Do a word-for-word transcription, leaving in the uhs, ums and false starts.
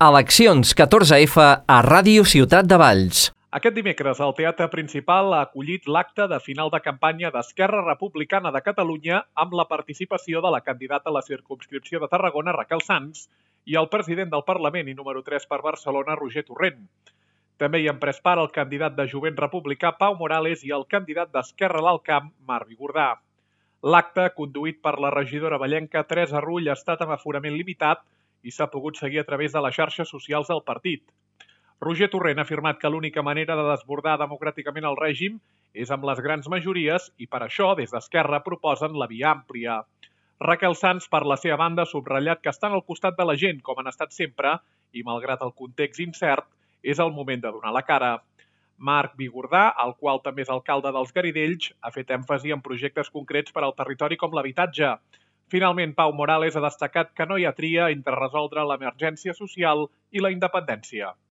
Eleccions catorze efa a Ràdio Ciutat de Valls. Aquest dimecres, el Teatre Principal ha acollit l'acte de final de campanya d'Esquerra Republicana de Catalunya amb la participació de la candidata a la circumscripció de Tarragona, Raquel Sans, i el president del Parlament i número tres per Barcelona, Roger Torrent. També hi han pres part el candidat de Jovent Republicà, Pau Morales, i el candidat d'Esquerra a l'Alt Camp, Marc Bigordà. L'acte, conduït per la regidora vallenca Teresa Rull, ha estat amb aforament limitat i s'ha pogut seguir a través de les xarxes socials del partit. Roger Torrent ha afirmat que l'única manera de desbordar democràticament el règim és amb les grans majories i per això, des d'Esquerra, proposen la via àmplia. Raquel Sans, per la seva banda, ha subratllat que estan al costat de la gent, com han estat sempre, i malgrat el context incert, és el moment de donar la cara. Marc Bigordà, el qual també és alcalde dels Garidells, ha fet èmfasi en projectes concrets per al territori com l'habitatge. Finalment, Pau Morales ha destacat que no hi ha tria entre resoldre l'emergència social i la independència.